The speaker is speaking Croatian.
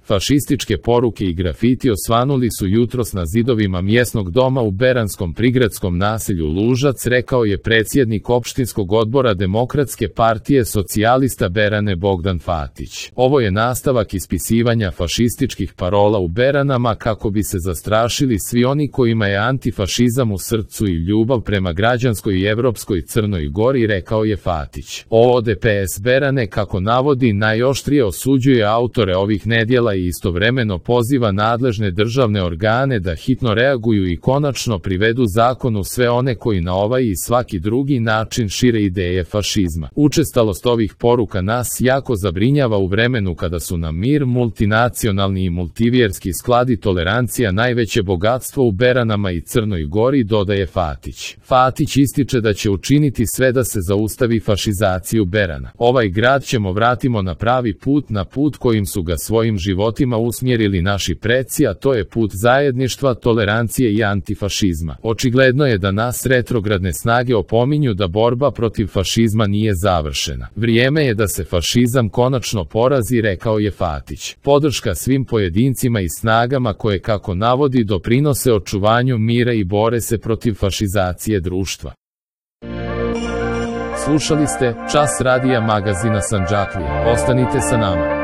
Fašističke poruke i grafiti osvanuli su jutros na zidovima mjesnog doma u beranskom prigradskom naselju Lužac, rekao je predsjednik opštinskog odbora Demokratske partije socijalista Berane Bogdan Fatić. Ovo je nastavak ispisivanja fašističkih parola u Beranama kako bi se zastrašili svi oni kojima je antifašizam u srcu i ljubav prema građanskoj i evropskoj Crnoj Gori, rekao je Fatić. ODPS Berane, kako navodi, najoštrije osuđuje autore ovih nedjela i istovremeno poziva nadležne državne organe da hitno reaguju i konačno privedu zakonu sve one koji na ovaj i svaki drugi način šire ideje fašizma. Učestalost ovih poruka nas jako zabrinjava u vremenu kada su nam mir, multinacionalni i multivjerski sklad i tolerancija najveće bogatstvo u Beranama i Crnoj Gori, dodaje Fatić. Fatić ističe da će učiniti sve da se zaustavi fašizaciju Berana. Ovaj grad ćemo vratimo na pravi put, na put kojim su ga svojim životima usmjerili naši preci, a to je put zajedništva, tolerancije i antifašizma. Očigledno je da nas retrogradne snage opominju da borba protiv fašizma nije završena. Vrijeme je da se fašizam konačno porazi, rekao je Fatić. Podrška svim pojedincima i snagama koje, kako navodi, doprinose očuvanju mira i bore se protiv fašizacije društva. Slušali ste Čas radija magazina Sandžaklije. Ostanite sa nama.